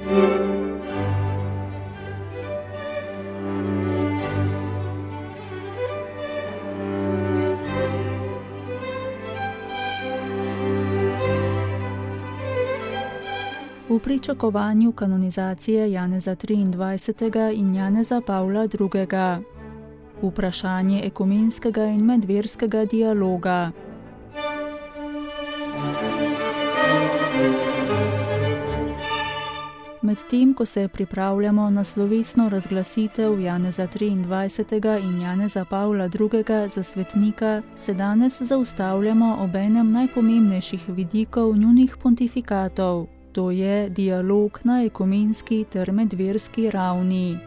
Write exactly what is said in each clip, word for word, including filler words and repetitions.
V pričakovanju kanonizacije Janeza triindvajsetega in Janeza Pavla drugega. Vprašanje ekumenskega in medverskega dialoga. Medtem, ko se pripravljamo na slovesno razglasitev Janeza triindvajsetega in Janeza Pavla drugega za svetnika, se danes zaustavljamo ob enem najpomembnejših vidikov njunih pontifikatov. To je dialog na ekumenski ter medverski ravni.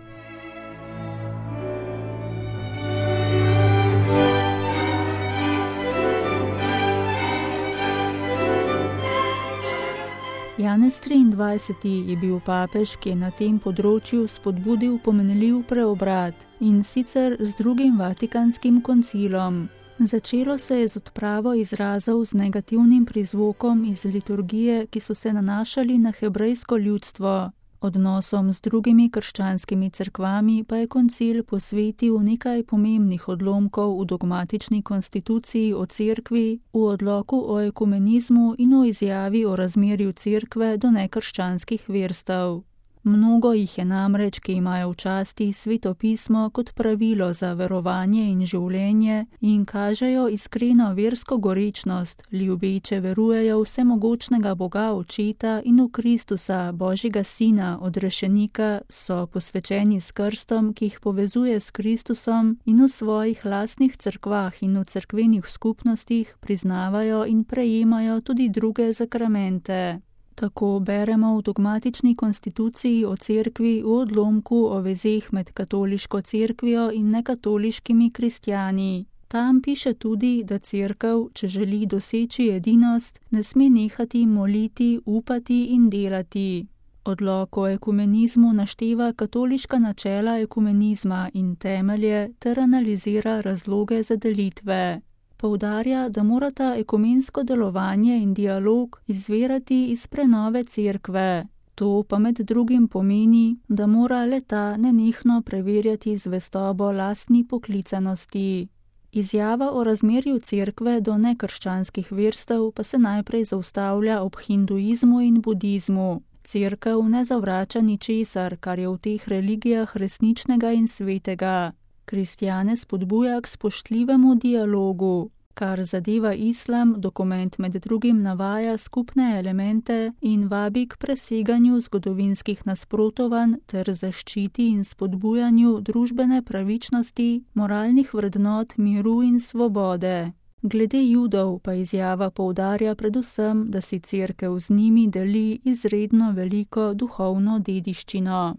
Janez triindvajseti je bil papež, ki je na tem področju spodbudil pomenljiv preobrat, in sicer z drugim Vatikanskim koncilom. Začelo se je z odpravo izrazov z negativnim prizvokom iz liturgije, ki so se nanašali na hebrejsko ljudstvo. Odnosom z drugimi krščanskimi cerkvami pa je koncil posvetil nekaj pomembnih odlomkov v dogmatični konstituciji o cerkvi, v odloku o ekumenizmu in v izjavi o razmerju cerkve do nekrščanskih verstev. Mnogo jih je namreč, ki imajo v časti Sveto pismo kot pravilo za verovanje in življenje in kažejo iskreno versko gorečnost, ljubeče verujejo vsemogočnega Boga Očeta in v Kristusa, Božjega Sina, odrešenika, so posvečeni s krstom, ki jih povezuje s Kristusom, in v svojih lastnih cerkvah in v cerkvenih skupnostih priznavajo in prejemajo tudi druge zakramente. Tako beremo v dogmatični konstituciji o cerkvi v odlomku o vezeh med katoliško cerkvijo in nekatoliškimi kristjani. Tam piše tudi, da cerkev, če želi doseči edinost, ne sme nehati moliti, upati in delati. Odlok o ekumenizmu našteva katoliška načela ekumenizma in temelje ter analizira razloge za delitve. Poudarja, da morata ekumensko delovanje in dialog izvirati iz prenove cerkve. To pa med drugim pomeni, da mora le-ta nenehno preverjati zvestobo lastni poklicanosti. Izjava o razmerju cerkve do nekrščanskih verstev pa se najprej zaustavlja ob hinduizmu in budizmu. Cerkev ne zavrača ničesar, kar je v teh religijah resničnega in svetega. Kristjane spodbuja k spoštljivemu dialogu. Kar zadeva islam, dokument med drugim navaja skupne elemente in vabi k preseganju zgodovinskih nasprotovanj ter zaščiti in spodbujanju družbene pravičnosti, moralnih vrednot, miru in svobode. Glede Judov pa izjava poudarja predvsem, da si cerkev z njimi deli izredno veliko duhovno dediščino.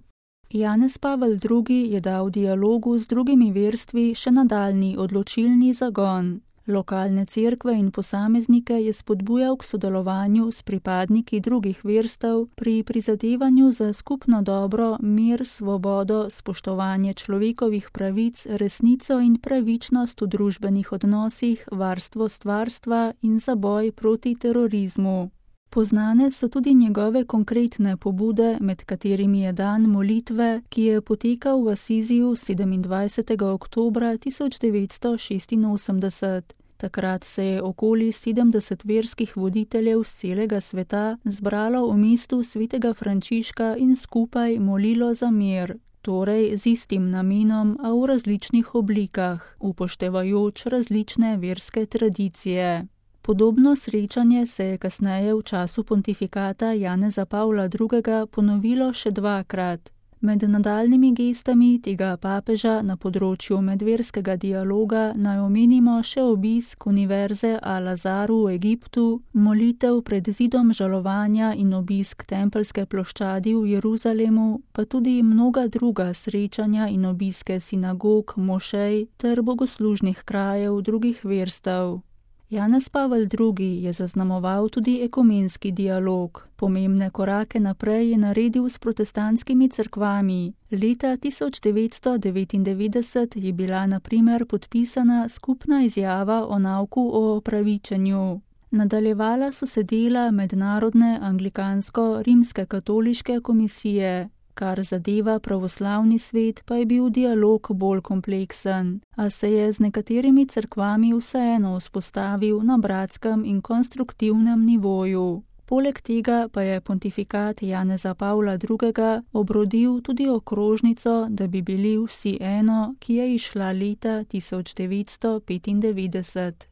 Janez Pavel drugi je dal dialogu z drugimi verstvi še nadaljnji odločilni zagon. Lokalne cerkve in posameznike je spodbujal k sodelovanju s pripadniki drugih verstev pri prizadevanju za skupno dobro, mir, svobodo, spoštovanje človekovih pravic, resnico in pravičnost v družbenih odnosih, varstvo stvarstva in za boj proti terorizmu. Poznane so tudi njegove konkretne pobude, med katerimi je dan molitve, ki je potekal v Asiziju sedemindvajsetega oktobra tisoč devetsto šestinosemdeset. Takrat se je okoli sedemdeset verskih voditeljev z celega sveta zbralo v mestu svetega Frančiška in skupaj molilo za mir. Torej z istim namenom, a v različnih oblikah, upoštevajoč različne verske tradicije. Podobno srečanje se je kasneje v času pontifikata Janeza Pavla drugega ponovilo še dvakrat. Med nadaljnimi gestami tega papeža na področju medverskega dialoga naj omenimo še obisk univerze Al-Azaru v Egiptu, molitev pred zidom žalovanja in obisk Tempeljske ploščadi v Jeruzalemu, pa tudi mnoga druga srečanja in obiske sinagog, mošej ter bogoslužnih krajev drugih verstev. Janez Pavel drugi je zaznamoval tudi ekumenski dialog. Pomembne korake naprej je naredil s protestantskimi cerkvami. Leta tisoč devetsto devetindevetdeset je bila na primer podpisana skupna izjava o nauku o opravičenju. Nadaljevala so se dela Mednarodne anglikansko-rimske katoliške komisije. Kar zadeva pravoslavni svet, pa je bil dialog bolj kompleksen, a se je z nekaterimi cerkvami vseeno vzpostavil na bratskem in konstruktivnem nivoju. Poleg tega pa je pontifikat Janeza Pavla drugega. obrodil tudi okrožnico, da bi bili vsi eno, ki je izšla leta tisoč devetsto petindevetdeset.